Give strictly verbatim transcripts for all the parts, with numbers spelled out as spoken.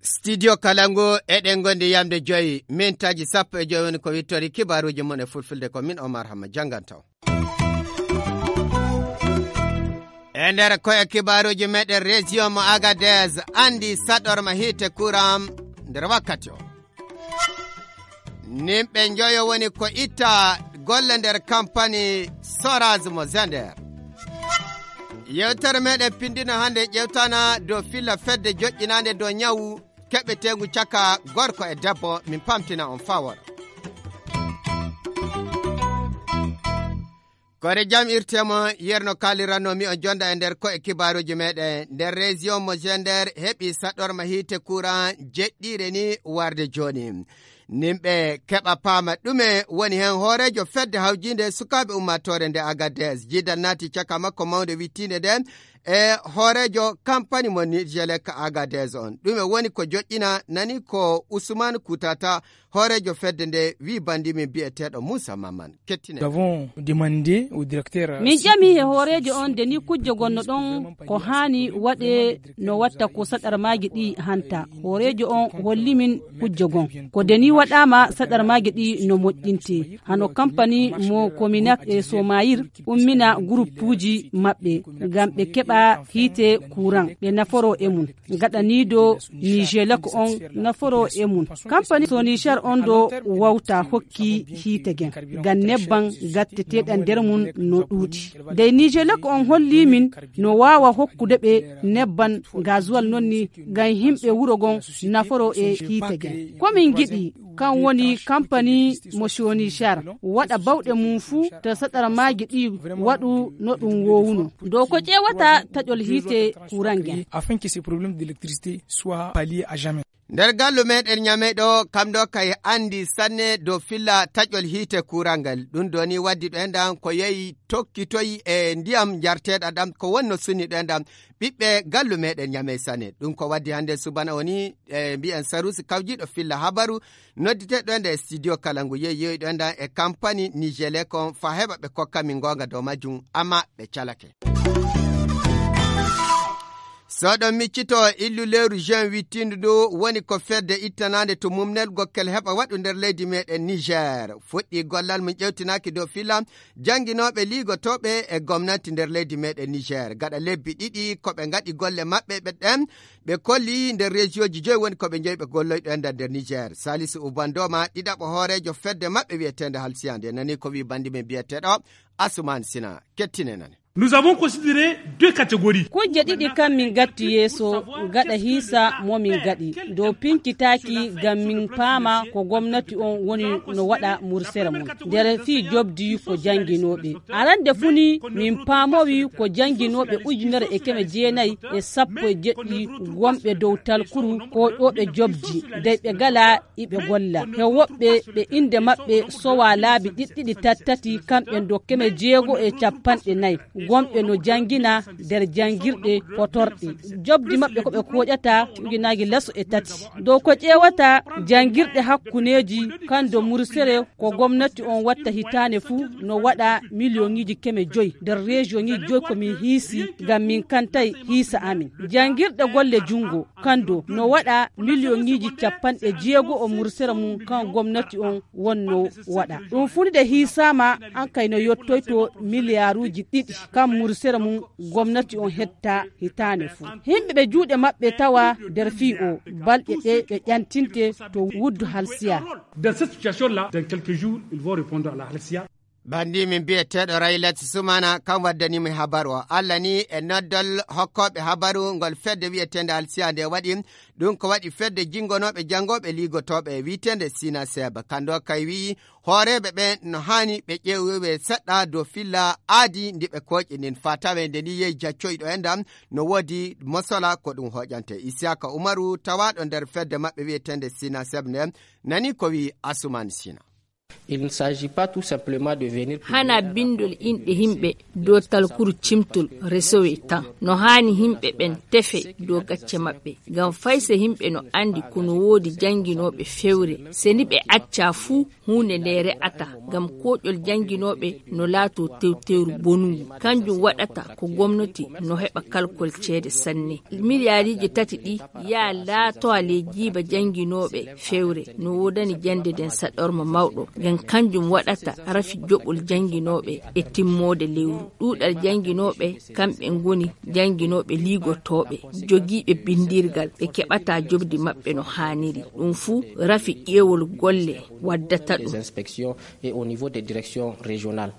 Studio Kalangu, eɗen ngondi yamde joyi, mintaaji sappo e joyi woni ko wittori kibaaruuji mon e fulfulde, ko min Omar Hamma jannganto. E nder koye kibaaruuji meɗen, région mo Agadez anndi saɗorma hiite courant nder wakkati o. Nimɓe njoyo woni ko itta golle nder kampani Soraz mo Zender. Yewtere meɗen pindino hannde ƴewtana dow filla fedde joƴƴinaande dow ñawu keɓeteengu caka gorko e debbo, min pamtina on fawor. Kore jam irtemo yerno kaliranno mi on jonda e nder ko'e kibaaruuji meɗen. Nder région mo Zender heɓi saɗorma hiite courant jeɗɗiire ni warde jooni. Nimɓe keɓa paama ɗume woni heen. Hooreejo fedde hawjiinde sukaaɓe ummaatoore nde Agadez, jiidal naati caka makko mawnde wittiinde nde e hooreejo kampani mo Nijelek Agadez on. Ɗume woni ko joƴƴina? Nani ko Usman Kutata, hooreejo fedde nde, wi banndi min biyeteeɗo Moussa Maman. Kettine. Nous avons demandé au directeur. Min ƴami he hooreejo on de ni kujje gonno ɗon ko haani waɗe no watta ko saɗarmaaji ɗi hanta. Hooreejo on holli min kujje gon. Ko de ni waɗaama saɗarmaaji ɗi no moƴƴinte. Hano kampani mo Kominak e Somayir ummina guruppuuji maɓɓe ngam ɓe keɓa hiite kuran ɓe naforo e mum. Gaɗaniido Nijelek on naforo e mum. Kampani Sonishar on do wawta hokki hiite gen. Ngam nebban gatteteɗan nder mum no ɗuuɗi. Dey Nijelek on holli min no waawa hokkude ɓe nebban gazuwal non ni ngam himɓe wuro gon naforo e hiite gen. Ko min giɗi kan woni kampani mo Sonishar waɗa bawɗe mum fuu to saɗarmaaji ɗi waɗu no ɗum wowuno. Dow ko ƴeewata taƴol hiite kuran gen. Afin que ces problèmes d'électricité soient palliés à jamais. Nder gallu meɗen Ñamey ɗo, kam ɗo kay anndi sanne dow filla taƴol hiite kuran ngal. Ɗum ɗo ni waddi ɗo enɗan ko yehi tokkitoyi e ndiyam njarteeɗam ɗam ko wonno sunni ɗo enɗan ɓiɓɓe gallu meɗen Ñamey sanne. Ɗum ko waddi hannde subana o ni, e mbiyen Sarusi kawjiiɗo filla habaru nodditeɗo enɗan e studio kala ngu yehi yehi ɗo enɗan e kampani Nijelek on fa heɓa ɓe kokka min goonga dow majjum, amma ɓe calake. So ɗon miccito illu lewru juin wittindu ndu woni ko fedde ittanaande to mumnel gokkel heɓa waɗu nder leydi meɗen Niger. Fuɗɗi gollal mum ƴewtinaaki dow filla jannginooɓe liigotooɓe e gomnati nder leydi meɗen Niger. Gaɗa lebbi ɗiɗi ko ɓe ngaɗi golle maɓɓe ɓe ɗen, ɓe kolli nder rejiyooji joyi woni ko ɓe njeyi ɓe golloyɗo enɗan nder Niger. Salisu Ubandoma, ɗiɗaɓo hooreejo fedde maɓɓe wiyeteende Halsiya nde nani ko wi banndi men biyeteeɗo Asuman Sina. Kettine nane. Nous avons considéré deux catégories. Kujje ɗiɗi kam min gatti yeeso gaɗa hiisa mo min gaɗi dow pinkitaaki ngam min paama ko gomnati on woni no waɗa mursere mum. Nder fii jobdi ko jannginooɓe. Arande fu ni min paamowi ko jannginooɓe ujunere e keme jeenayi e sappo e jeɗɗi wonɓe dow talkuru koyɗooɓe jobdi dey ɓe gala iɓe golla. He woɓɓe ɓe innde maɓɓe sowa laabi ɗiɗɗiɗi tattati kamɓe dow keme jeego e cappanɗe nayi. Wonɓe no janngina nder janngirɗe potorɗe. Jobdi maɓɓe ko ɓe kooƴata ujunaaji laso e tati. Dow ko ƴeewata janngirɗe hakkuneeji kan do mursere ko gomnati on watta hitaane fuu no waɗa miliyoŋiiji keme joyi nder rejiyoŋiiji joyi ko min hiisi ngam min kantay hiisa amin. Janngirɗe golle junngo kando no waɗa miliyoŋiiji cappanɗe jeego o mursere mum kan gomnati on wonno waɗa. Ɗum fuu nde hiisaama an kay no yottoyto miliyaaruuji ɗiɗi kan mursere mum gomnati on hetta hitaane fuu. Himɓe ɓe juuɗe maɓɓe tawa nder fii o balɗe ɗe ɓe ƴantinte to wuddu halsiya. Dans cette situation-là, dans quelques jours, ils vont répondre à la halsiya. Banndi min biyeteeɗo Raylet Sumana kam waddanimo habaru o. Allah ni e noddol hokkooɓe habaru ngol fedde wiyeteende Alsiya nde waɗi. Ɗum ko waɗi fedde jinngonooɓe janngooɓe liigotooɓe wiyeteende Sina Seb. Kando kay wi'i hooreeɓe ɓen no haani ɓe ƴeewowe seɗɗa dow filla aadi ndi ɓe kooƴi ndin. Faa tawee nde ni yehi jaccoyɗo e ndam no woodi mosola ko ɗum hooƴante. Isiyaka Umaru tawaaɗo nder fedde maɓɓe wiyeteende Sina Seb nde nani ko wi'i Asuman Sina. Il ne s'agit pas tout simplement de venir publier hana un bindol inɗe yimɓe dow talkuru cimtol resowey tan. No haani yimɓe ɓen tefe dow gacce maɓɓe. Ngam fay se yimɓe no anndi ko no woodi jannginooɓe fewre, se ni ɓe acca fuu, huunde nde re'ata. Ngam kooƴol jannginooɓe no laatoo tewtewru bonungu. Kanjum waɗata ko gomnati no heɓa kalkol ceede sanne. Miliyaariiji tati ɗi yaa laatowa ley jiiba jannginooɓe fewre. No woodani jannde nden saɗorma mawɗo. Ngam kanjum waɗata rafi joɓol jannginooɓe e timmoode lewru. Ɗuuɗal jannginooɓe, kamɓe ngoni jannginooɓe liigotooɓe, jogiiɓe binndirgal, ɓe keɓataa jobdi maɓɓe no haaniri. Ɗum fuu rafi ƴeewol golle waddata ɗum. Des inspections et au niveau des directions régionales.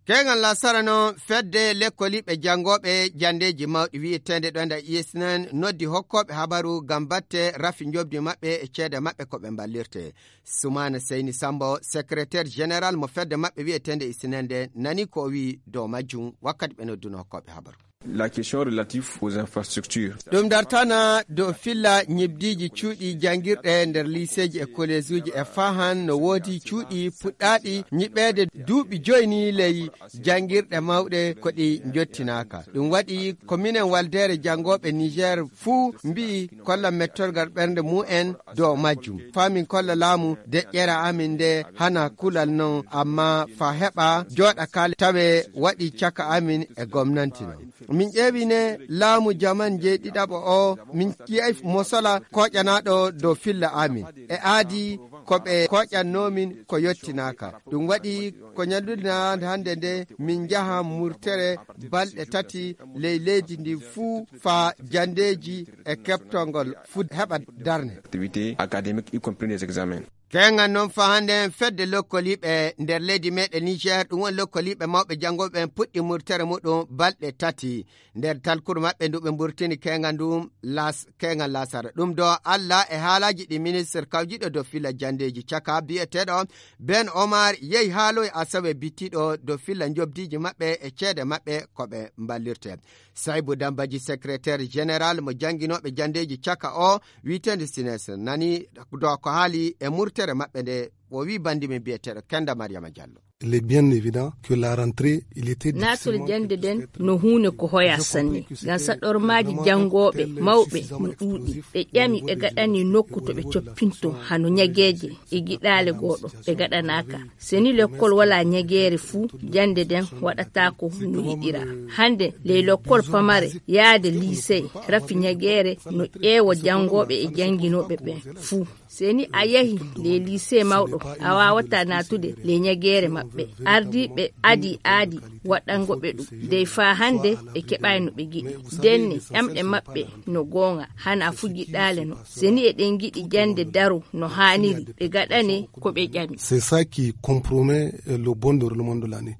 Keeŋal lasara noon, fedde lekkoliiɓe janngooɓe janndeeji mawɗi wiyeteende ɗo nda I S N N noddi hokkooɓe habaru ngam batte rafi njoɓdi maɓɓe e ceede maɓɓe ko ɓe mballirte. Sumaana Seyni Sambo, secrétaire général mo fedde maɓɓe wiyeteende I S N N nde, nani ko o wi'i dow majjum wakkati ɓe nodduno hokkooɓe habaru. La question relative aux infrastructures. Ɗum dartana dow filla ñibdiiji cuuɗi janngirɗe nder liiseeji e koleesuuji e fahan no woodi cuuɗi puɗɗaaɗi ñiɓeede duuɓi joyi ni ley janngirɗe mawɗe ko ɗi njottinaaka. Ɗum waɗi ko minen waldeere janngooɓe Niger fuu mbi'i kolla mettorgal ɓernde mumen dow majjum. Faa min kolla laamu deƴƴere amin nde hana kulal non, amma faa heɓa jooɗa kaale tawe waɗi caka amin e gomnanti non. Min ƴeewi ne laamu jaman jeeɗiɗaɓo o, min ƴi'ay mosola kooƴanaaɗo dow filla amin. E aadi ko ɓe kooƴannoo min ko yottinaaka. Ɗum waɗi ko ñallude hannde nde min njaha murtere balɗe tati ley leydi ndi fuu faa janndeeji e keɓtongol fuu heɓa darne. Activités académiques, y compris les examens. Keeŋan noon faa hannde fedde lokkoliiɓe nder leydi meeɗen Niger, ɗum woni lokkoliiɓe mawɓe janngooɓe ɓen puɗɗi murtere muɗum balɗe tati. Nder talkuru maɓɓe ndu ɓe mburtini keeŋan ndun las-, keeŋan lasara. Ɗum do Allah e haalaaji ɗi ministre kawjiiɗo dow filla janndeeji caka biyeteeɗo Ben Omar yehi haaloyi asawe bittiiɗo dow filla njobdiiji maɓɓe e ceede maɓɓe ko ɓe mballirte. Saybu Dambaji, secrétaire général mo jannginooɓe janndeeji caka o, wiyeteende sines, nani dow ko haali e murtere maɓɓe nde o wi'i banndi men biyeteeɗo Kenda Mariama Diallo. Il est bien évident que la rentrée, il était naatol difficilement jannde nden no huunde ko hoya sanne. Ngam saɗormaaji janngooɓe mawɓe no ɗuuɗi. Ɓe ƴami, ɓe gaɗani nokku to ɓe coppinto hano ñageeje e giɗaale gooɗo ɓe gaɗanaaka. Se ni lekkol walaa ñageere fuu, jannde nden waɗataako no yiɗiraa. Hannde ley lekkol pamare yaade liisee rafi ñageere no ƴeewa janngooɓe e jannginooɓe ɓen fuu. Se ni a yahi ley liisee mawɗo, a waawataa naatude ley ñageere maɓɓe. Ardiiɓe adii aadi waɗango ɓe ɗum. Dey faa hannde ɓe keɓaay no ɓe giɗi. Ndenne ƴamɗe maɓɓe no goonga, hana fuu giɗaale no. Se ni eɗen ngiɗi jannde daro no haaniri, ɓe gaɗane ko ɓe ƴami. C'est ça qui compromet, euh, le bon déroulement de l'année.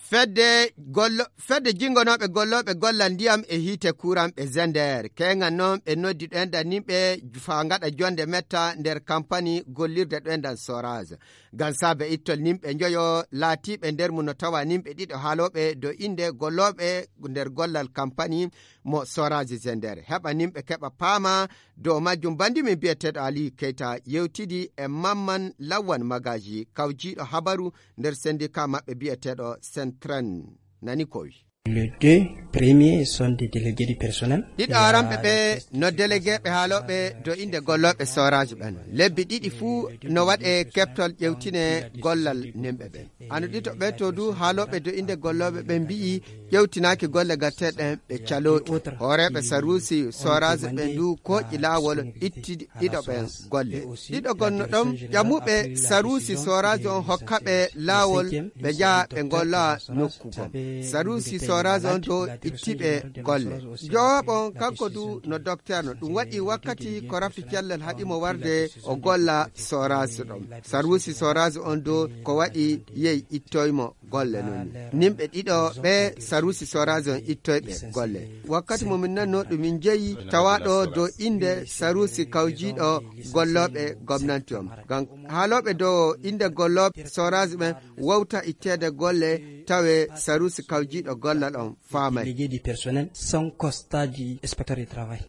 Fedde gollo-, fedde jingonooɓe gollooɓe gollal ndiyam e hiite kuuran ɓe Zender. Keeŋan noon ɓe noddi ɗoenɗan nimɓe faa ngaɗa jonnde metta nder kampani gollirde ɗoenɗan Soraz. Ngam saabe ittol nimɓe njoyo laatiiɓe nder mum no tawa nimɓe ɗiɗo haalooɓe dow innde gollooɓe nder gollal kampani mo Soraz Zender. Heɓa nimɓe keɓa paama dow majjum, banndi men biyeteeɗo Aliyu Keyta yewtidi e Mamman Lawwan Magaji, kawjiiɗo habaru nder sendika maɓɓe biyeteeɗo Sentren. Nani ko wi. Les deux premiers sont des délégués du personnel. Ɗiɗo aranɓe ɓe no délégué ɓe haalooɓe dow innde gollooɓe Soraz ɓen. Lebbi ɗiɗi fuu no waɗe keɓtol ƴewtine gollal nimɓe ɓen. Ano ɗiɗo ɓe to du haalooɓe dow innde gollooɓe ɓen mbi'i ƴewtinaaki golle gatteeɗe ɗen ɓe calooɗi. Hooreeɓe saruusi Soraz ɓen du kooƴi laawol itti ɗiɗo ɓen golle. Ɗiɗo gonno ɗon ƴamuɓe saruusi Soraz on hokka ɓe laawol ɓe njaha ɓe ngolla nokku gom. Saruusi Soraz on do itti ɓe golle. Jowaaɓo on kanko du no docteur no. Ɗum waɗi wakkati ko rafi cellal haɗi mo warde o golla Soraz ɗon. Saruusi Soraz on do ko waɗi yehi ittoy mo golle non. Nimɓe ɗiɗo ɓe saruusi Soraz on ittoy ɓe golle. Wakkati mo min nanno ɗum min jeyi tawaɗo dow innde saruusi kawjiiɗo gollooɓe gomnanti on. Ngam haalooɓe dow innde gollooɓe Soraz ɓen wawta itteede golle tawe saruusi kawjiiɗo gollal on faamay. Délégué du personnel sans constat du inspecteur du travail.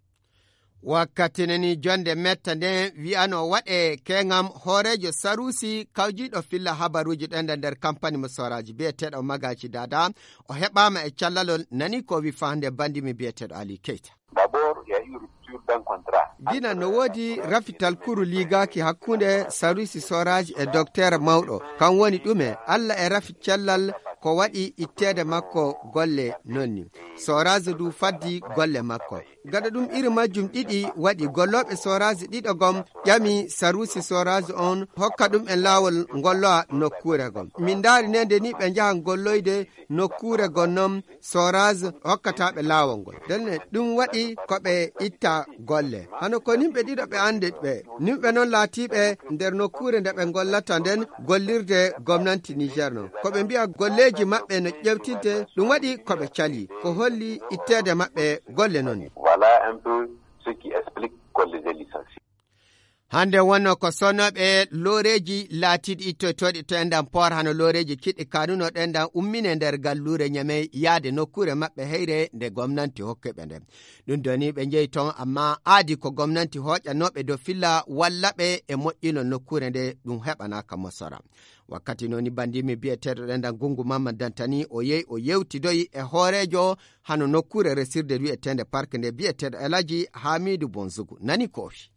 Wakkati nani jonde metta nden wi'ano waɗe keŋam hooreejo saruusi kawjiiɗo filla habaruuji ɗen nder kampani mo sooraaji bi'eteeɗo Magaji Dada, o heɓaama e callalol nani ko wi faande bandimi bi'eteeɗo Ali Keita. D'abord, il y a eu rupture d'un contrat. Dina no woodi rafital kuru liigaaki hakkunde saruusi sooraaji e dokteer mawɗo. Kan woni ɗume? Alla e rafi cellal ko waɗi itteede makko golle nonni. Sooraaji du faddi golle makko. Gada ɗum iri majjum ɗiɗi waɗi gollooɓe sooraaji ɗiɗo gom ƴami saruusi sooraaji on hokka ɗum en laawol ngolloa nokkuure gom. Min ndaari nde ni ɓe njahan golloyde nokkuure gon non sooraaji hokkataaɓe laawol ngol. Ndenne ɗum waɗi ko ɓe itta golle. Hano ko nimɓe ɗiɗo ɓe anndi ɓe. Nimɓe non laatiiɓe nder nokkuure nde ɓe ngollata nden gollirde gomnanti Niger non. Ko ɓe mbi'a golleeji maɓɓe no ƴewtinte, ɗum waɗi ko ɓe cali. Ko holli itteede maɓɓe golle non. Voilà un peu ce qui explique qu'on les ait licenciés. Hande wonno ko sonnooɓe looreeji laatiiɗi ittoytooɗi to enɗan port hano looreeji kiɗɗi kanuno ɗenɗan ummine nder galluure Ñamey yaade nokkuure maɓɓe heyre nde gomnanti hokki ɓe nden. Ɗum doni ɓe njehi ton, amma aadi ko gomnanti hooƴanooɓe dow filla walla ɓe e moƴƴinol nokkuure nde ɗum heɓanaaka mosora. Wakkati nooni bandimi bi'eteeɗo ɗenɗan Gungu Mamman Dantani o yehi o yewtidoyi e hooreejo hano nokkuure resirde wi'eteende park nde bi'eteeɗo Elaji Hamidu Bonzugu. Nani ko o wi.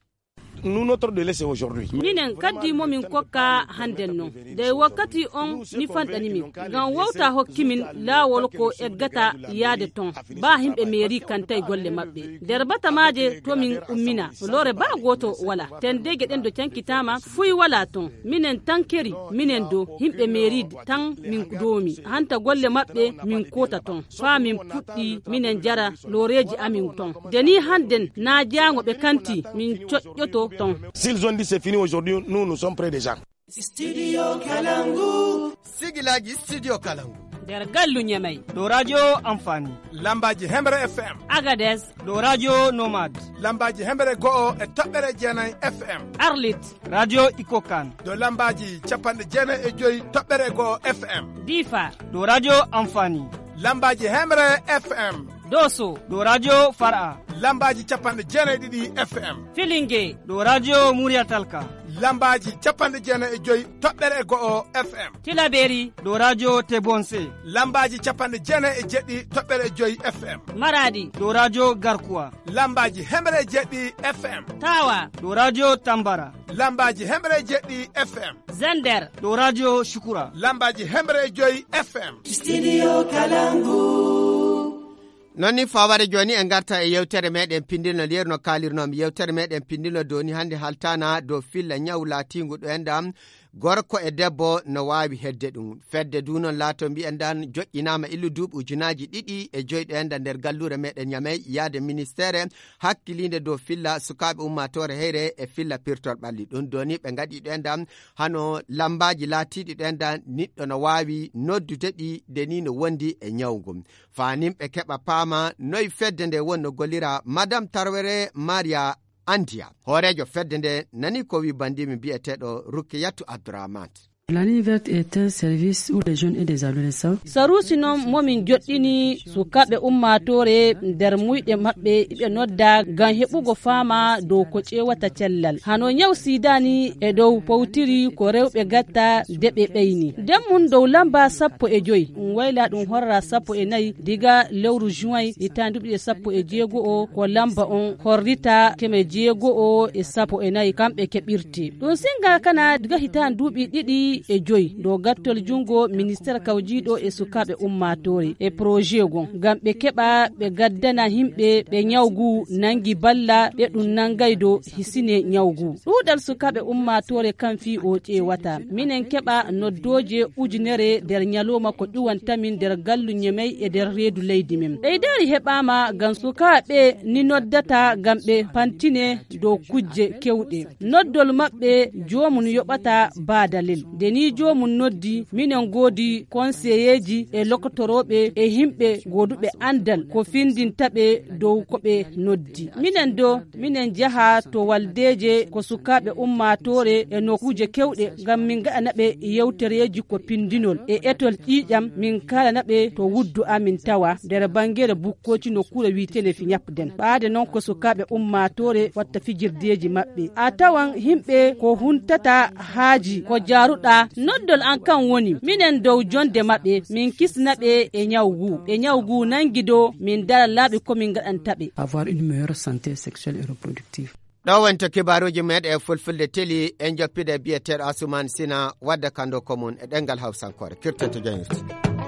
Nous, notre délai, c'est aujourd'hui. Minen kaddi mo min kokka hannden non. Dey wakkati on mi fanɗani min. Ngam wowta hokki min laawol ko eggata yaade ton. Baa himɓe meeri kantay golle maɓɓe. Nder batamaaje to min ummina. Lore baa gooto wala. Ten dege ɗen do cankitaama fuy wala ton. Minen tankeri, minen do himɓe meeri tan min doomi. Hanta golle maɓɓe min koota ton. Faa min puɗɗi minen jara loreeji amin ton. Deni hannden na jaango ɓe kanti min coƴƴoto ton. S'ils ont dit c'est fini aujourd'hui, nous, nous sommes prêts déjà. Studio Kalangu. Sigilaji Studio Kalangu. Nder gallu Ñamey. Ɗo radio Amfani. Lambaji Hemre F M. Agades. Ɗo radio Nomad. Lambaji Hemre go'o e toɓɓere jeenay F M. Arlit. Radio Ikokan. Ɗo lambaji capanɗe jeenay e joyi toɓɓere go'o F M. Difa. Ɗo radio Amfani. Lambaji Hemre F M. Doso. Ɗo radio Far'a. Lambaji capanɗe jeenay ɗiɗi F M. Filinge. Ɗo radio Muriya Talka. Lambaji capanɗe jeenay e joyi toɓɓere e go'o F M. Tilaberi. Ɗo radio Tebonse. Lambaji capanɗe jeenay e jeɗɗi toɓɓere e joyi F M. Maradi. Ɗo radio Garkuwa. Lambaji hemre e jeɗɗi F M. Tawa. Ɗo radio Tambara. Lambaji hemre e jeɗɗi F M. Zander. Ɗo radio Shukura. Lambaji hemre e joyi F M. Studio Kalangu. Non ni faware jooni en garta e yewtere meɗen pindinol yeru no kaalirnomi yewtere meɗen pindinol doni hannde haltana dow filla ñaw laatingu ɗo enɗan gorko e debbo no waawi hedde ɗum. Fedde du non laato mbiyen ɗan joƴƴinaama illu duuɓi ujunaaji ɗiɗi e joyi ɗo enɗan nder galluure meɗen Ñamey yaade ministeere hakkiliinde dow filla sukaaɓe ummaatoore heyre e filla pirtol ɓalli. Ɗum doni ɓe ngaɗi ɗo enɗan hano lambaaji laatiiɗi ɗo enɗan niɗɗo no waawi noddude ɗi de ni no wondi e ñaw ngun. Faa nimɓe keɓa paama noy fedde nde wonno gollira. Madame Tarwere Maria Andiya, hooreejo fedde nde nani ko wi bandimi bi'eteeɗo Rukiyatu Abdourahmane. La ligne verte est un service où les jeunes et des adolescents. Saruusi noon momin joɗɗini sukaaɓe ummaatoore nder muyɗe maɓɓe iɓe nodda ngam heɓugo faama dow ko ƴeewata cellal. Hano ñaw siidani e dow powtiri ko rewɓe gatta de ɓe ɓeyni. Nden mum dow lamba sappo e joy, ɗum wayla ɗum horra sappo e nayi diga lewru juin hitaande duuɓi ɗiɗi e sappo e jeego o, ko lamba on horrita keme jeego o e sappo e nayi kamɓe keɓirte. Ɗum singa kana diga hitaande duuɓi ɗiɗi e joy dow gattol jungo ministeer kawjiiɗo e sukaaɓe ummaatoore e projet gon ngam ɓe keɓa ɓe gaddana himɓe ɓe ñawgu nangi balla ɓe ɗum nangay do hisine ñawgu. Ɗuuɗal sukaaɓe ummaatoore kan fii o ƴeewata. Minen keɓa noddooje ujunere nder ñalooma ko ƴuwantamin nder gallu Ñemey e nder reedu leydi min. Ɓeydaari heɓaama ngam sukaaɓe ni noddata ngam ɓe pantine dow kujje kewɗe. Noddol maɓɓe joomum yoɓata baadalel. Ni joomum noddi, minen ngoodi konseyeeji e lokotorooɓe e yimɓe gooduɓe anndal ko findinta ɓe dow ko ɓe noddi. Minen do, minen njaha to waldeeje ko sukaaɓe ummaatoore e nokkuuje kewɗe ngam min ngaɗana ɓe yewtereeji ko pindinol e etol ƴiiƴam, min kaalana ɓe to wuddu amin tawa nder banngere bukkooci nokkuure wiyeteende Fiñapden. Ɓaade noon ko sukaaɓe ummaatoore watta fijirdeeji maɓɓe. A tawan yimɓe ko huntata haaji ko jaaruɗaa noddol an kan woni minen dow jonde maɓɓe min kisna ɓe e ñaw ngu. Ɓe ñaw ngu nangi do min dara laaɓi ko min ngaɗanta ɓe. Avoir une meilleure santé sexuelle et reproductive. Ɗo wonto kibaaruuji meeɗen e fulfulde teli en joppide biyeteeɗo Asuman Sina wadda kando ko mum e ɗenngal Hawsankoore kirtante jañirte.